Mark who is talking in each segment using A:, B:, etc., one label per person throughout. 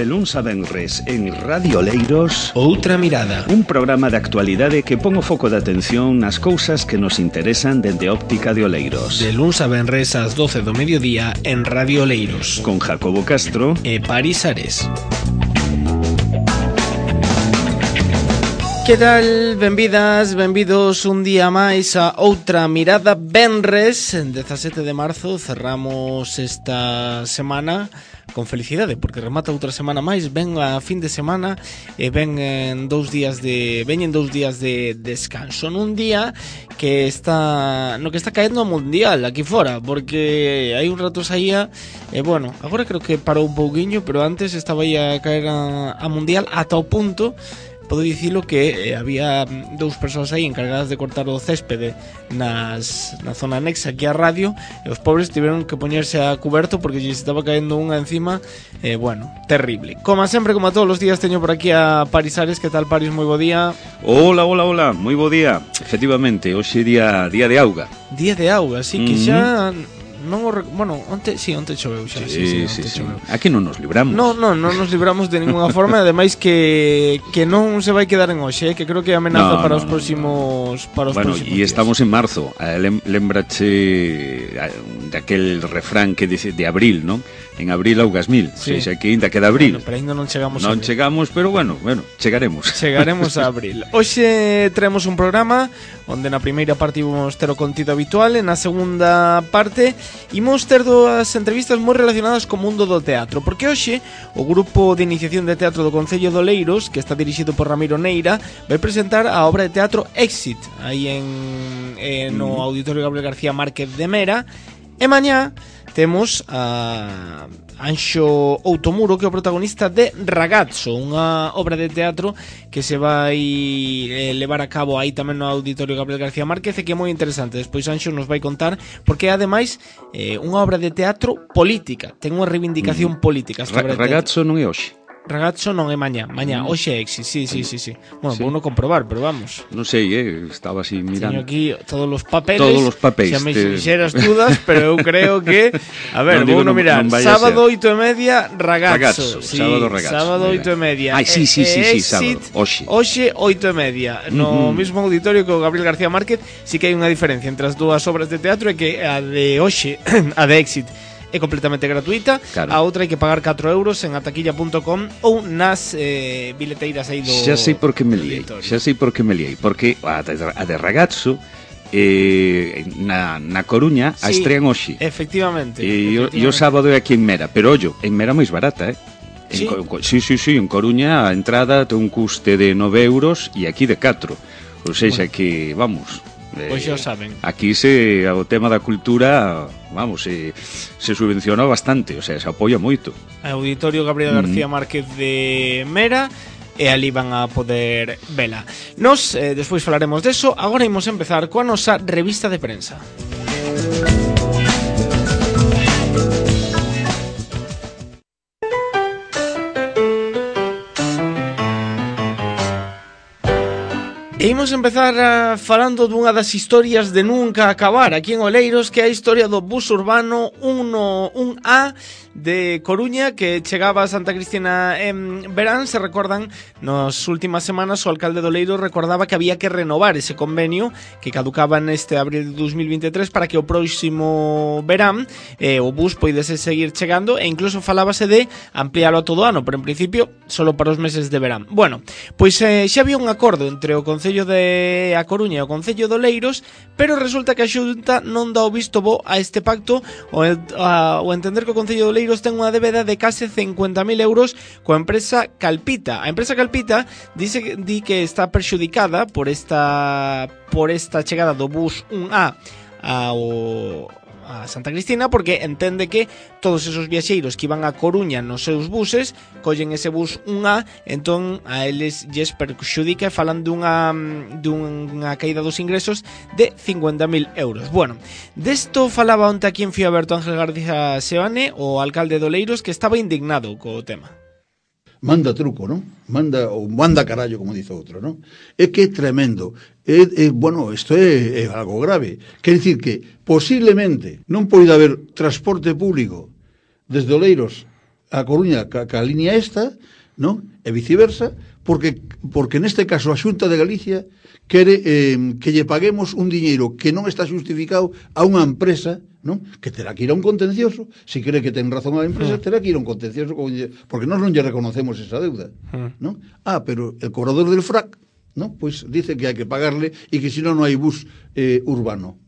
A: De luns a venres en Radio Oleiros,
B: Outra Mirada,
A: un programa de actualidade que pon o foco de atención nas cousas que nos interesan dende a óptica de Oleiros.
B: de luns a venres ás 12 do mediodía en Radio Oleiros,
A: Con Jacobo Castro
B: e Paris Ares. Que tal? Benvidas, benvidos un día máis a Outra Mirada. Venres, 17 de marzo, cerramos esta semana con felicidade, porque remata outra semana máis, ven a fin de semana e veñen 2 días de descanso, nun día que está caendo o mundial aquí fora, porque hai un rato saía e bueno, agora creo que parou un pouquiño, pero antes estaba aí a caer a mundial ata o punto. Podo dicilo que había 2 persoas aí encargadas de cortar o céspede na zona anexa aquí á radio, e os pobres tiveron que poñerse a cuberto porque lle estaba caendo unha encima, bueno, terrible. Como sempre, como a todos os días, teño por aquí a Paris Ares. Que tal, Paris? Moi bo día.
A: Hola, moi bo día. Efectivamente, hoxe día de auga.
B: Día de auga, así que xa... Non o bueno, onte choveu xa,
A: Sí.
B: choveu.
A: Aquí non nos libramos.
B: Non nos libramos de ninguna forma, ademais que non se vai quedar en hoxe, que creo que é amenaza para os próximos
A: Bueno, e
B: días.
A: estamos en marzo. Lembrache daquel refrán que dice de abril, non? En abril augas mil.
B: Sí.
A: O sea, que ainda queda abril.
B: Bueno, pero ainda non chegamos
A: Non chegamos, pero bueno, chegaremos.
B: Chegaremos a abril. Hoxe traemos un programa onde na primeira parte imos ter o contido habitual, e na segunda parte imos ter 2 entrevistas moi relacionadas co mundo do teatro, porque hoxe o grupo de iniciación de teatro do Concello de Oleiros, que está dirixido por Ramiro Neira, vai presentar a obra de teatro Éxit aí no Auditorio Gabriel García Márquez de Mera. E mañá temos a Anxo Outomuro, que é o protagonista de Ragazzo, unha obra de teatro que se vai levar a cabo aí tamén no Auditorio Gabriel García Márquez, e que é moi interesante. Despois Anxo nos vai contar, porque é ademais unha obra de teatro política, ten unha reivindicación política.
A: Ragazzo non é hoxe.
B: Ragazzo non é mañá, hoxe é Éxit, sí. Bueno, sí. Vou non comprobar, pero vamos.
A: Non sei, estaba así mirando.
B: Teño aquí todos os papeles.
A: Xa
B: me fixeras todas, pero eu creo que... A ver, vou non mirar. Sábado 8:30, Ragazzo. Sí, sábado Ragazzo. Sábado 8:30.
A: Ai, sí, sábado.
B: Hoxe 8:30. No mismo auditorio que o Gabriel García Márquez. Sí que hai unha diferencia entre as 2 obras de teatro, e que a de hoxe, a de Éxit, é completamente gratuita, claro. A outra hai que pagar 4 euros en ataquilla.com ou nas bileteiras aí do...
A: Xa sei por que me liei, porque a de Ragazzo na Coruña a estrean hoxe.
B: Efectivamente.
A: E o sábado é aquí en Mera, pero ollo, en Mera máis barata,
B: Sí,
A: en Coruña a entrada ten un custe de 9 euros e aquí de 4. Ou seja, que, vamos...
B: Pois xa o saben.
A: Aquí o tema da cultura, vamos, se subvenciona bastante, o sea, se apoia moito.
B: Auditorio Gabriel García Márquez de Mera, e ali van a poder vela. Nos, despois falaremos deso. Agora imos empezar coa nosa revista de prensa. E imos empezar falando dunha das historias de nunca acabar aquí en Oleiros, que é a historia do bus urbano 1A de Coruña, que chegaba a Santa Cristina en verán. Se recordan, nas últimas semanas o alcalde de Oleiros recordaba que había que renovar ese convenio que caducaba neste abril de 2023 para que o próximo verán o bus poidese seguir chegando, e incluso falábase de ampliálo a todo ano, pero en principio solo para os meses de verán. Bueno, pois xa había un acordo entre o Concello de A Coruña e o Concello de Oleiros, pero resulta que a Xunta non dá o visto bo a este pacto, o entender que o Concello de Oleiros ten unha débeda de case 50.000 euros coa empresa Calpita. A empresa Calpita di que está perxudicada por esta chegada do bus 1A a Santa Cristina, porque entende que todos esos viaxeiros que iban a Coruña nos seus buses collen ese bus 1A, entón a eles lles perxudica, e falan dunha caída dos ingresos de 50.000 euros. Bueno, desto falaba onte aquí en Fío Aberto Ángel García Seoane, o alcalde de Oleiros, que estaba indignado co tema.
C: Manda truco, non? Manda carallo, como dice outro, non? É que é tremendo. Bueno, isto é algo grave. Quer dicir que posiblemente non poida haber transporte público desde Oleiros a Coruña ca línea esta, non? E viceversa, porque neste caso a Xunta de Galicia quere que lle paguemos un diñeiro que non está justificado a unha empresa, non? Que terá que ir a un contencioso, se cree que ten razón a empresa, terá que ir a un contencioso, porque nós non lle reconocemos esa deuda, non? Pero el cobrador del FRAC, non? Pois dice que hai que pagarle e que senón non hai bus urbano.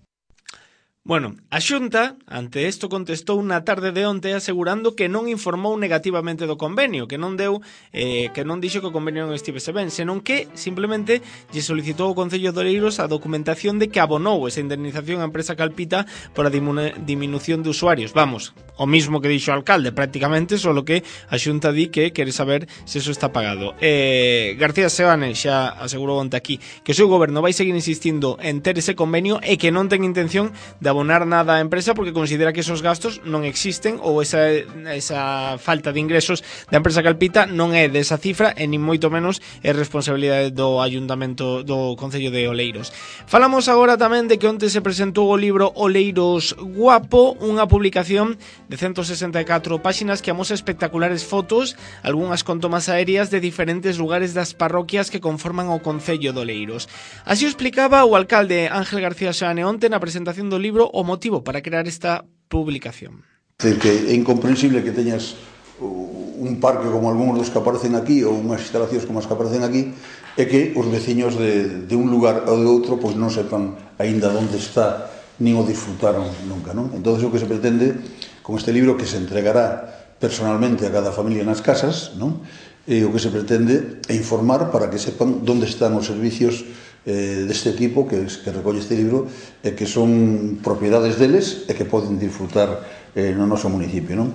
B: Bueno, a Xunta, ante isto, contestou na tarde de onte asegurando que non informou negativamente do convenio, que non deu, que non dixo que o convenio non estivese ben, senón que simplemente lle solicitou ao Concello de Oleiros a documentación de que abonou esa indemnización á empresa Calpita por a diminución de usuarios. Vamos, o mismo que dixo o alcalde prácticamente, solo que a Xunta di que quere saber se eso está pagado. García Seoane xa asegurou onte aquí que o seu goberno vai seguir insistindo en ter ese convenio e que non ten intención de abonar nada á empresa porque considera que esos gastos non existen ou esa falta de ingresos da empresa Calpita non é desa cifra e nin moito menos é responsabilidade do Ayuntamento do Concello de Oleiros. Falamos agora tamén de que onte se presentou o libro Oleiros Guapo, unha publicación de 164 páxinas que amosa espectaculares fotos, algunhas con tomas aéreas de diferentes lugares das parroquias que conforman o Concello de Oleiros. Así o explicaba o alcalde Ángel García Seoane onte na presentación do libro o motivo para crear esta publicación.
C: É dicir, que é incomprensible que teñas un parque como algúns dos que aparecen aquí ou unhas instalacións como as que aparecen aquí e que os veciños de un lugar ou de outro pois non sepan aínda onde está nin o disfrutaron nunca, non? Entón, o que se pretende con este libro que se entregará personalmente a cada familia nas casas, non? E o que se pretende é informar para que sepan onde están os servicios deste tipo que recolle este libro e que son propiedades deles e que poden disfrutar no noso municipio, non?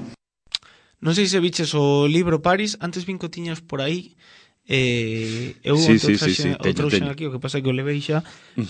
B: Non sei se viches o libro Paris, antes vin que o tiñas por aí, eu
A: sí,
B: o trouxen aquí, o que pasa é que o levei xa,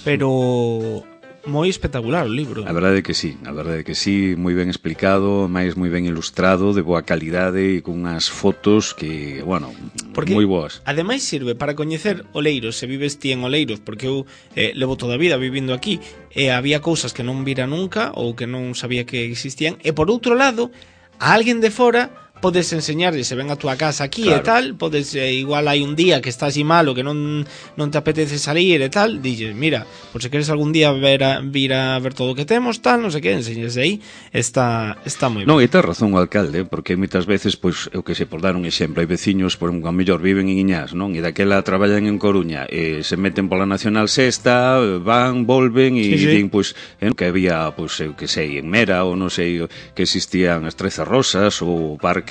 B: pero moi espectacular o libro.
A: A verdade é que sí, moi ben explicado, máis moi ben ilustrado, de boa calidade e con unhas fotos que, bueno, porque moi boas.
B: Ademais sirve para coñecer Oleiros, se vives ti en Oleiros, porque eu levo toda a vida vivindo aquí e había cousas que non vira nunca ou que non sabía que existían, e por outro lado, a alguén de fora podes enseñarlle, se ven a túa casa aquí, claro, e tal, podes, igual hai un día que estás así malo, que non te apetece salir e tal, dilles, mira, por se queres algún día vir a ver todo o que temos, tal, non sei que, enseñes aí, está moi ben.
A: Non, e ten razón o alcalde, porque moitas veces, pois, eu que sei, por dar un exemplo, hai veciños, por un mellor viven en Iñás, non? E daquela traballan en Coruña, e se meten pola Nacional Sexta, van, volven, e din, pois, que había, pois, eu que sei, en Mera, ou non sei, que existían as 13 Rosas, ou o Parque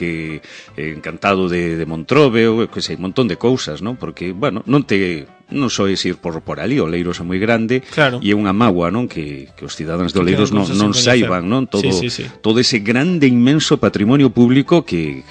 A: Encantado de Montrobe, ou que sei, un montón de cousas, non? Porque, bueno, non só é ir por ali, Oleiros é moi grande, claro, e é unha mágoa, non? Que os cidadáns de Oleiros non saiban, non? Todo ese grande, inmenso patrimonio público que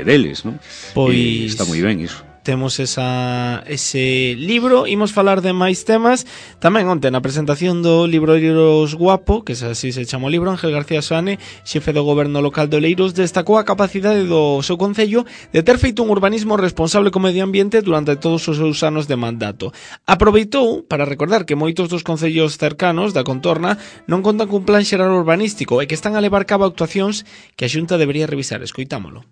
A: deles, non?
B: Pois
A: está moi ben iso.
B: Temos ese libro. Imos falar de máis temas. Tamén onte na presentación do libro Oleiros Guapo, que así se chama o libro, Ángel García Seoane, xefe do goberno local de Oleiros, destacou a capacidade do seu concello de ter feito un urbanismo responsable co medio ambiente durante todos os seus anos de mandato. Aproveitou para recordar que moitos dos concellos cercanos da contorna non contan cun plan xeral urbanístico e que están a levar cabo actuacións que a Xunta debería revisar. Escoitámolo.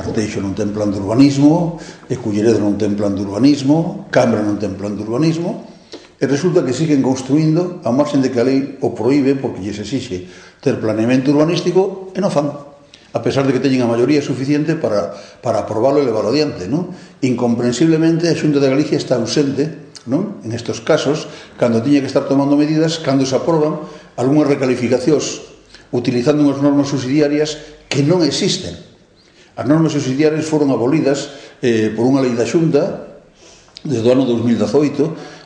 C: Arteixo non ten plan de urbanismo, Culleredo non ten plan de urbanismo, Cambra non ten plan de urbanismo, e resulta que siguen construindo a marxen de que a lei o proíbe porque lles exixe ter planeamento urbanístico e non fan, a pesar de que teñen a maioría suficiente para aprobarlo e levarlo adiante, non? Incomprensiblemente a Xunta de Galicia está ausente, non? En estos casos, cando tiña que estar tomando medidas, cando se aproban algunhas recalificacións utilizando unhas normas subsidiarias que non existen. As normas subsidiarias foron abolidas por unha lei da Xunta desde o ano 2018.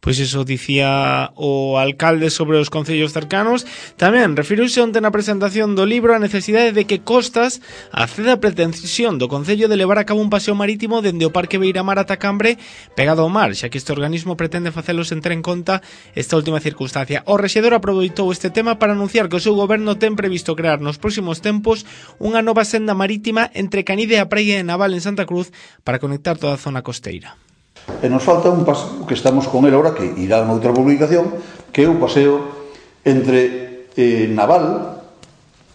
B: Pois iso dicía o alcalde sobre os concellos cercanos. Tamén referiuse onte na presentación do libro a necesidade de que Costas acceda a pretensión do concello de levar a cabo un paseo marítimo dende o Parque Beiramar ata Cambre pegado ao mar, xa que este organismo pretende facelo sen ter en conta esta última circunstancia. O rexedor aproveitou este tema para anunciar que o seu goberno ten previsto crear nos próximos tempos unha nova senda marítima entre Canide e a praia de Naval en Santa Cruz para conectar toda a zona costeira.
C: E nos falta un paseo que estamos con ele ahora, que irá noutra publicación, que é o paseo entre Naval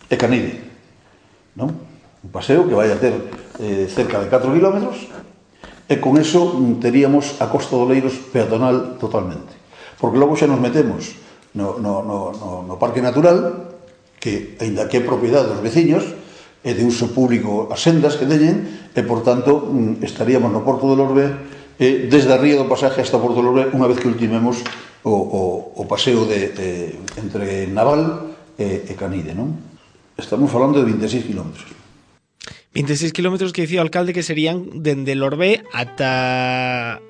C: e Canide, non? Un paseo que vai a ter cerca de 4 kilómetros, e con eso teríamos a Costa de Oleiros peatonal totalmente. Porque logo xa nos metemos no Parque Natural, que, aínda que é propiedade dos veciños, é de uso público as sendas que teñen, e, por tanto, estaríamos no Porto de Lorbe, desde a Ría do Pasaje hasta Porto de Lorbe, unha vez que ultimemos o paseo entre Naval e Canide, non? Estamos falando de 26 kilómetros.
B: 26 kilómetros que dicía o alcalde que serían dende Lorbé ata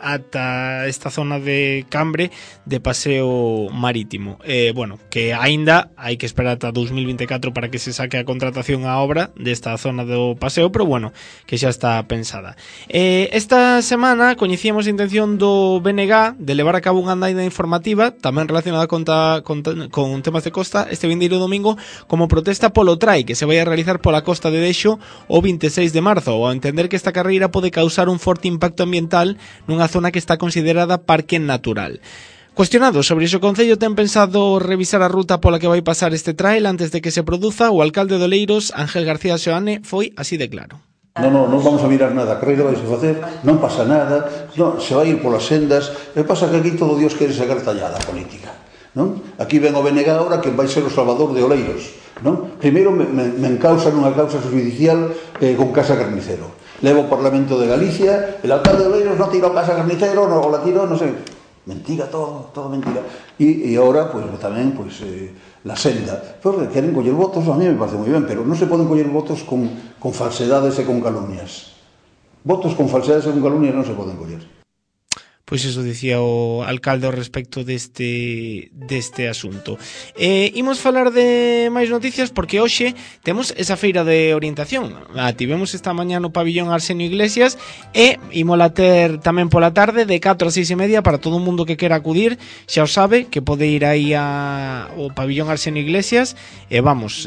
B: esta zona de Cambre de paseo marítimo. Bueno, que aínda hai que esperar ata 2024 para que se saque a contratación a obra desta zona do paseo, pero bueno, que xa está pensada. Esta semana coñecíamos a intención do BNG de levar a cabo unha andaina informativa tamén relacionada con temas de costa este vindeiro domingo como protesta polo trai que se vai a realizar pola costa de Dexo o 26 de marzo, ao entender que esta carreira pode causar un forte impacto ambiental nunha zona que está considerada parque natural. Cuestionado sobre iso, o Concello ten pensado revisar a ruta pola que vai pasar este trail antes de que se produza. O alcalde de Oleiros, Ángel García Seoane, foi así de claro.
C: Non vamos a mirar nada, a carreira vai se facer, non pasa nada, se vai ir polas sendas, e pasa que aquí todo Dios quere sacar tallada política, non? Aquí ven o BNG agora que vai ser o salvador de Oleiros, non? Primeiro me encausan unha causa judicial con Casa Carnicero. Levo ao Parlamento de Galicia, el alcalde de Oleiros non tirou Casa Carnicero, o la tirou, non sei. Mentira, todo mentira. E agora, pues, tamén, pues, la senda. Porque queren coller votos, a mí me parece moi ben, pero non se poden coller votos con falsedades e con calumnias. Votos con falsedades e con calumnias non se poden coller.
B: Pois iso dicía o alcalde ao respecto deste asunto. Imos falar de máis noticias porque hoxe temos esa feira de orientación. Tivemos esta mañá no pabillón Arsenio Iglesias e imola ter tamén pola tarde de 4 a 6 e media para todo o mundo que quera acudir. Xa o sabe que pode ir aí ao pabillón Arsenio Iglesias e vamos,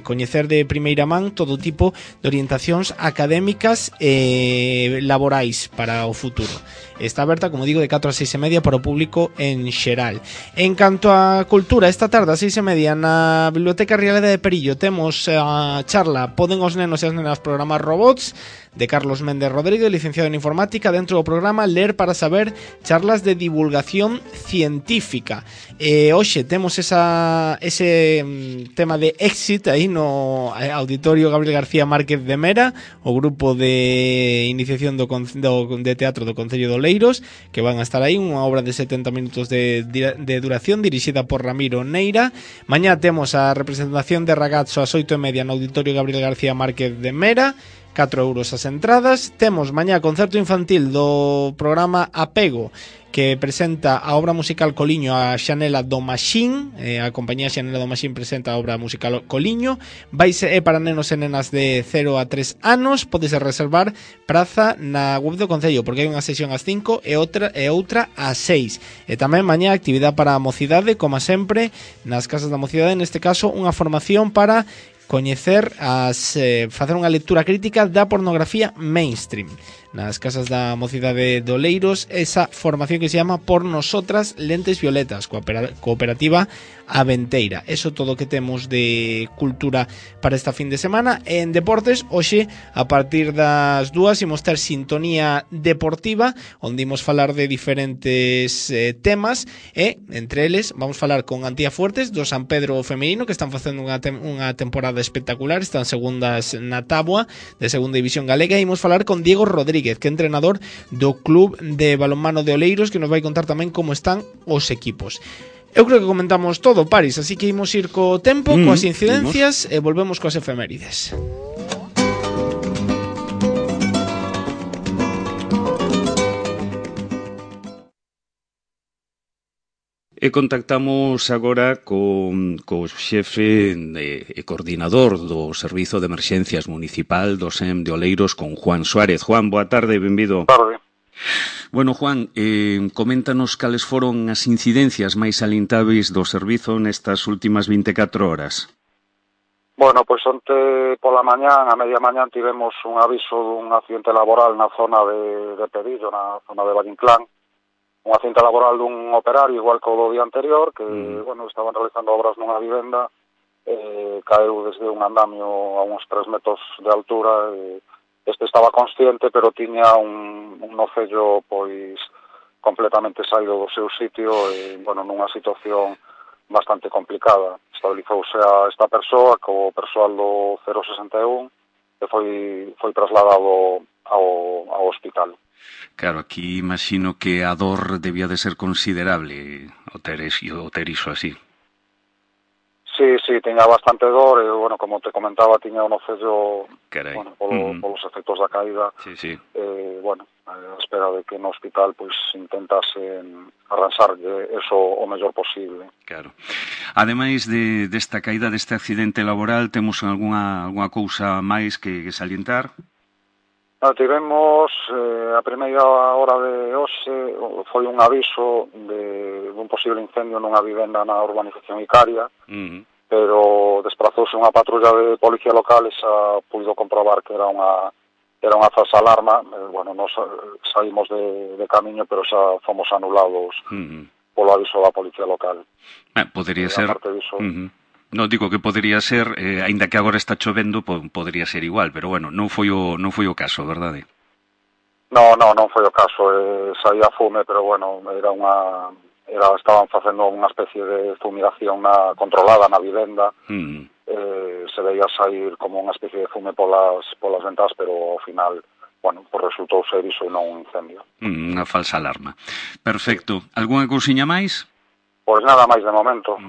B: coñecer de primeira man todo tipo de orientacións académicas e laborais para o futuro. Está aberta, como digo, de 4 a 6 e media para o público en xeral. En canto a cultura, esta tarde a 6 e media na Biblioteca Rialeda de Perillo temos a charla Poden os nenos e as nenas programar robots de Carlos Méndez Rodríguez, licenciado en informática, dentro do programa Ler para Saber, charlas de divulgación científica. Hoxe temos ese tema de Exit aí no Auditorio Gabriel García Márquez de Mera, o grupo de iniciación de teatro do Concello de Oleiros, que van a estar aí, unha obra de 70 minutos de duración, dirixida por Ramiro Neira. Mañá temos a representación de Ragazzo ás 8:30 no Auditorio Gabriel García Márquez de Mera, 4 euros as entradas. Temos mañá concerto infantil do programa Apego, que presenta a obra musical Coliño a Xanela do Maxín. A compañía Xanela do Maxín presenta a obra musical Coliño. É para nenos e nenas de 0 a 3 anos. Podese reservar praza na web do Concello, porque hai unha sesión ás 5 e outra ás 6. E tamén mañá actividade para a mocidade, como sempre, nas casas da mocidade, neste caso unha formación para coñecer facer unha lectura crítica da pornografía mainstream nas casas da mocidade de Oleiros, esa formación que se llama Por Nosotras Lentes Violetas, cooperativa Aventeira. Eso todo o que temos de cultura para esta fin de semana. En deportes, hoxe a partir das 2 imos ter sintonía deportiva, onde imos falar de diferentes temas, e entre eles vamos falar con Antía Fuertes do San Pedro femenino, que están facendo unha temporada espectacular, están segundas na táboa de segunda división galega, e imos falar con Diego Rodríguez, que é entrenador do Club de Balonmano de Oleiros, que nos vai contar tamén como están os equipos. Eu creo que comentamos todo, Paris, así que imos ir co tempo, coas incidencias, e volvemos coas efemérides.
A: E contactamos agora co xefe e coordinador do Servizo de Emerxencias Municipal do SEM de Oleiros, con Juan Suárez. Juan, boa tarde, benvido.
D: Boa tarde.
A: Bueno, Juan, coméntanos cales foron as incidencias máis salintáveis do servizo nestas últimas 24 horas.
D: Bueno, pois onte pola mañán, a media mañán, tivemos un aviso dun accidente laboral na zona de Pedillo, na zona de Vallinclán. Un accidente laboral dun operario, igual que o do día anterior, que, bueno, estaban realizando obras nunha vivenda caeu desde un andamio a uns 3 metros de altura. Este estaba consciente, pero tiña un nocello pois completamente saído do seu sitio, nunha situación bastante complicada. Estabilizouse a esta persoa co persoal do 061 e foi trasladado ao hospital.
A: Claro, aquí imagino que a dor debía de ser considerable o ter iso así.
D: Sí, tiña bastante dor e, como te comentaba, tiña o nocello polos efectos da caída.
A: Sí.
D: A espera de que no hospital pois intentasen arranxarlle eso o mellor posible.
A: Claro. Ademais desta caída, deste accidente laboral, temos algunha cousa máis que salientar?
D: Tivemos a primeira hora de hoxe foi un aviso dun posible incendio nunha vivenda na urbanización Icaria, pero desprazouse unha patrulla de policía local e xa puido comprobar que era unha falsa alarma. Nos saímos de camiño, pero xa fomos anulados polo aviso da policía local.
A: Podería ser... No, digo que podería ser, aínda que agora está chovendo, podería ser igual, pero non foi o caso, verdade?
D: Non foi o caso, saía fume, pero estaban facendo unha especie de fumigación controlada na vivenda, se veía sair como unha especie de fume polas ventas, pero ao final, resultou ser iso e non un incendio.
A: Unha falsa alarma. Perfecto. Algúnha cousiña máis?
D: Pois nada máis de momento.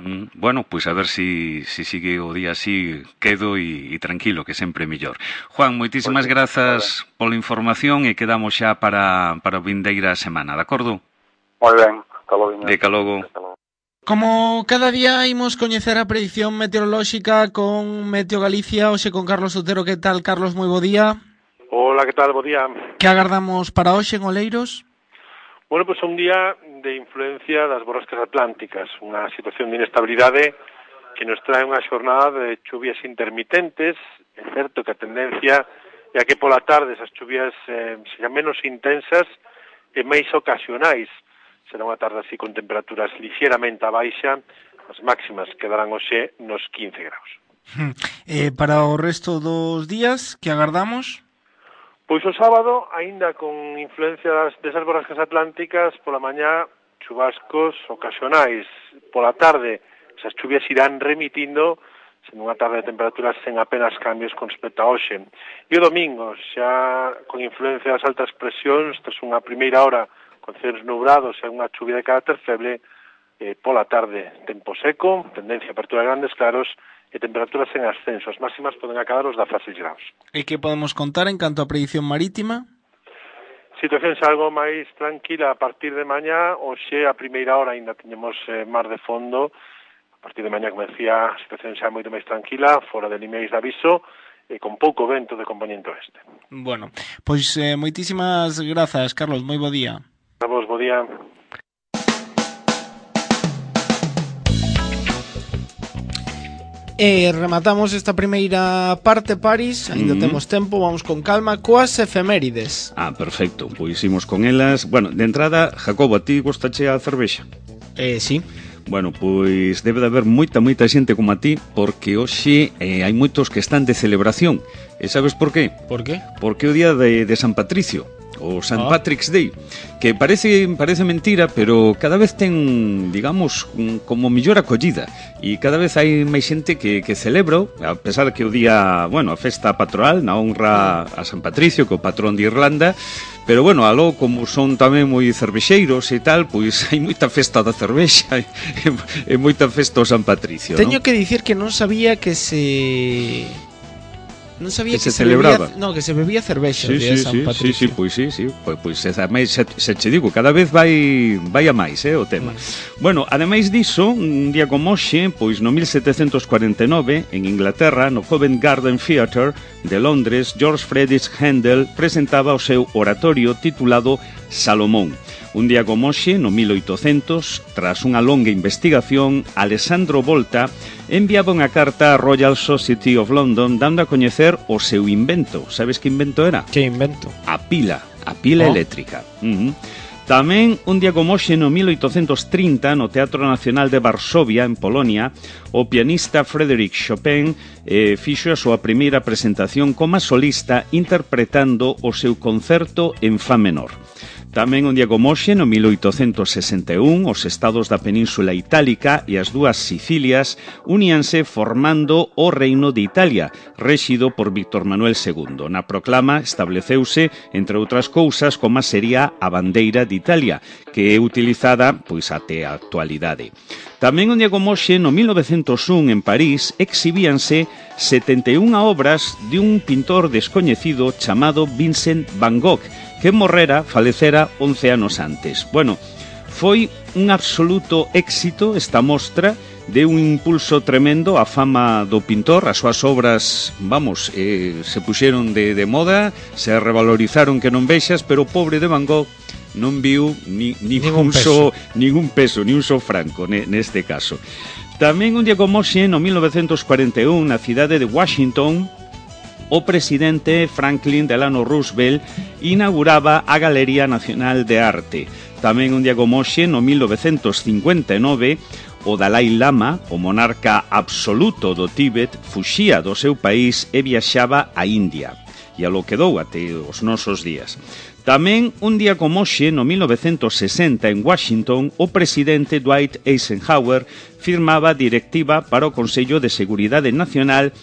A: Pois a ver se sigue o día así, quedo e tranquilo, que sempre é mellor. Juan, moitísimas grazas pola información e quedamos xa para a vindeira semana, de acordo?
D: Moi ben,
A: Ata logo.
B: Como cada día imos coñecer a predición meteorolóxica con Meteo Galicia, hoxe con Carlos Otero. Que tal, Carlos? Moi bo día.
E: Hola, que tal? Bo día.
B: Que agardamos para hoxe en Oleiros?
E: Bueno, pois un día de influencia das borrascas atlánticas, unha situación de inestabilidade que nos trae unha xornada de chuvias intermitentes. É certo que a tendencia é a que pola tarde esas chuvias sexan menos intensas e máis ocasionais. Será unha tarde así con temperaturas lixeramente a baixa, as máximas quedarán hoxe nos 15 graus.
B: Para o resto dos días, que agardamos?
E: Pois o sábado, aínda con influencias desas borrascas atlánticas, pola mañá, chubascos ocasionais. Pola tarde, esas chuvias irán remitindo, sen unha tarde de temperaturas sen apenas cambios con respecto a hoxe. E o domingo, xa con influencia das altas presións, tras unha primeira hora con cielos nubrados e unha chuvia de carácter feble, pola tarde, tempo seco, tendencia a apertura de grandes claros, e temperaturas en ascenso. As máximas poden acadar os 16 graus.
B: E que podemos contar en canto a predicción marítima?
E: Situación xa algo máis tranquila a partir de mañá. Hoxe, a primeira hora, ainda teñemos mar de fondo. A partir de mañá, como decía, a situación xa moito máis tranquila, fora de limiares de aviso, e con pouco vento de componente oeste.
B: Bueno, pois moitísimas grazas, Carlos. Moi bo día.
E: A vos, bo día.
B: E rematamos esta primeira parte, Paris. Ainda temos tempo, vamos con calma coas efemérides.
A: Perfecto, pois imos con elas. Bueno, de entrada, Jacobo, a ti gostache a cervexa?
B: Sí.
A: Bueno, pois debe de haber moita xente como a ti, porque hoxe hai moitos que están de celebración. E sabes por qué?
B: Por qué?
A: Porque é o día de San Patricio, o St. Patrick's Day, que parece mentira, pero cada vez ten, digamos, como mellor acollida, e cada vez hai máis xente que celebra, a pesar que o día, a festa patronal na honra a San Patricio, que é o patrón de Irlanda, pero aló, como son tamén moi cervexeiros e tal, pois hai moita festa da cervexa e moita festa ao San Patricio.
B: Teño que dicir que non sabía que se... Non sabía que se
A: celebraba.
B: Que se bebía cervexa de San Patricio.
A: Pois se che digo, cada vez vai a máis, o tema. Bueno, ademais diso, un día como hoxe, pois no 1749, en Inglaterra, no Covent Garden Theatre de Londres, George Friedrich Händel presentaba o seu oratorio titulado Salomón. Un día como hoxe, no 1800, tras unha longa investigación, Alessandro Volta enviaba unha carta á Royal Society of London dando a coñecer o seu invento. Sabes que invento era?
B: Que invento?
A: A pila eléctrica. Tamén un día como hoxe no 1830 no Teatro Nacional de Varsovia, en Polonia, o pianista Frédéric Chopin fixo a súa primeira presentación como solista interpretando o seu concerto en fa menor. Tamén un día como hoxe, no 1861, os estados da Península Itálica e as dúas Sicilias uníanse formando o Reino de Italia, rexido por Víctor Manuel II. Na proclama estableceuse, entre outras cousas, como sería a bandeira de Italia, que é utilizada pois até a actualidade. Tamén un día como hoxe, no 1901, en París, exhibíanse 71 obras de un pintor descoñecido chamado Vincent Van Gogh, que falecera 11 anos antes. Bueno, foi un absoluto éxito esta mostra, de un impulso tremendo á fama do pintor, as súas obras, se puxeron de moda, se revalorizaron que non vexas, pero o pobre de Van Gogh non viu ningún peso, ni un só franco neste caso. Tamén un día como hoxe, no 1941, na cidade de Washington, o presidente Franklin Delano Roosevelt inauguraba a Galería Nacional de Arte. Tamén un día como hoxe, no 1959, o Dalai Lama, o monarca absoluto do Tíbet, fuxía do seu país e viaxaba a India. E a lo quedou até os nosos días. Tamén un día como hoxe, no 1960, en Washington, o presidente Dwight Eisenhower firmaba directiva para o Consello de Seguridade Nacional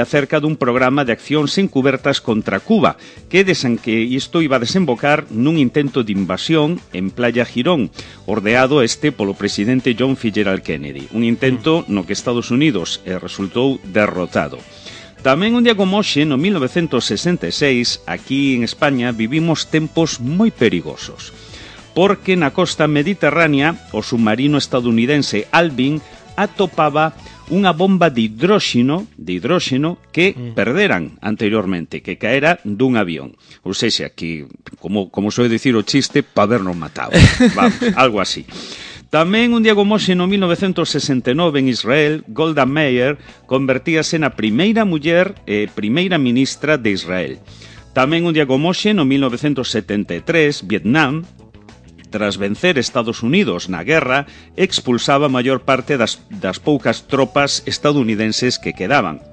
A: acerca dun programa de accións encubertas contra Cuba, que isto iba a desembocar nun intento de invasión en Playa Girón, ordeado polo presidente John Fitzgerald Kennedy. Un intento no que Estados Unidos resultou derrotado. Tamén un día como hoxe, no 1966, aquí en España, vivimos tempos moi perigosos, porque na costa mediterránea o submarino estadounidense Alvin atopaba unha bomba de hidróxeno que perderan anteriormente, que caera dun avión. Ou seja, que, como soe dicir o chiste, pa habernos matado. Vamos, algo así. Tamén un día como hoxe, no 1969, en Israel, Golda Meir convertíase na primeira muller primeira ministra de Israel. Tamén un día como hoxe, no 1973, Vietnam, tras vencer Estados Unidos na guerra, expulsaba a maior parte das poucas tropas estadounidenses que quedaban.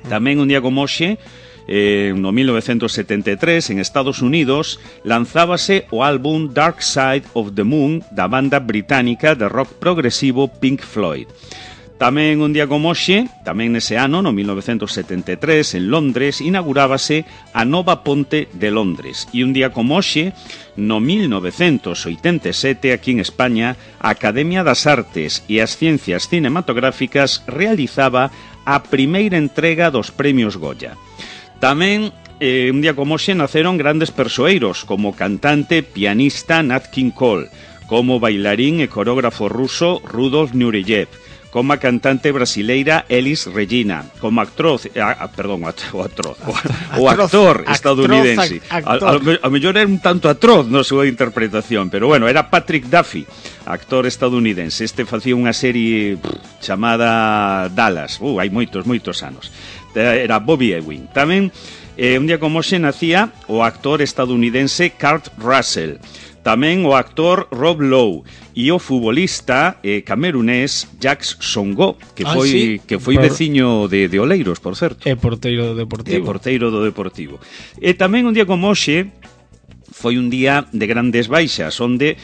A: Tamén un día como hoxe, no 1973, en Estados Unidos, lanzábase o álbum Dark Side of the Moon da banda británica de rock progresivo Pink Floyd. Tamén un día como hoxe, tamén nese ano, no 1973, en Londres, inaugurábase a nova ponte de Londres. E un día como hoxe, no 1987, aquí en España, a Academia das Artes e as Ciencias Cinematográficas realizaba a primeira entrega dos premios Goya. Tamén un día como hoxe naceron grandes persoeiros, como cantante, pianista Nat King Cole, como bailarín e coreógrafo ruso Rudolf Nureyev, como a cantante brasileira Elis Regina, como actor estadounidense. A mellor era un tanto atroz na súa interpretación, pero bueno, era Patrick Duffy, actor estadounidense. Facía unha serie chamada Dallas, hai moitos anos. Era Bobby Ewing. Tamén, un día como hoxe, nacía o actor estadounidense Kurt Russell. Tamén o actor Rob Lowe e o futbolista camerunés Jacques Songo, que foi veciño de Oleiros, por certo.
B: É porteiro do Deportivo.
A: E tamén un día como hoxe foi un día de grandes baixas, onde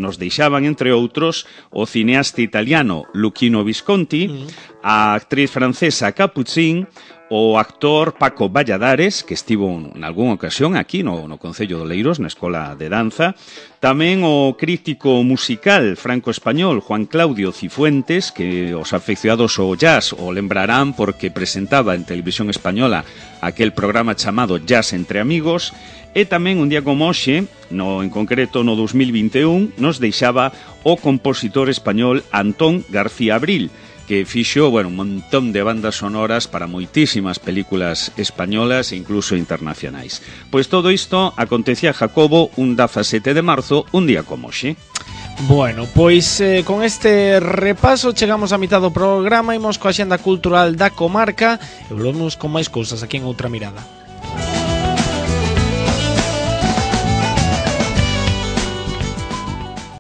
A: nos deixaban, entre outros, o cineasta italiano Luchino Visconti, a actriz francesa Capucine, o actor Paco Valladares, que estivo en algunha ocasión aquí no Concello de Oleiros, na Escola de Danza, tamén o crítico musical franco-español Juan Claudio Cifuentes, que os afeccionados ao jazz o lembrarán porque presentaba en Televisión Española aquel programa chamado Jazz entre Amigos, e tamén un día como hoxe, en concreto no 2021, nos deixaba o compositor español Antón García Abril, que fixo, un montón de bandas sonoras para moitísimas películas españolas e incluso internacionais. Pois todo isto acontecía Jacobo un 17 de marzo, un día como hoxe.
B: Bueno, pois con este repaso chegamos á mitad do programa, imos coa xenda cultural da comarca e volvemos con máis cousas aquí en Outra Mirada.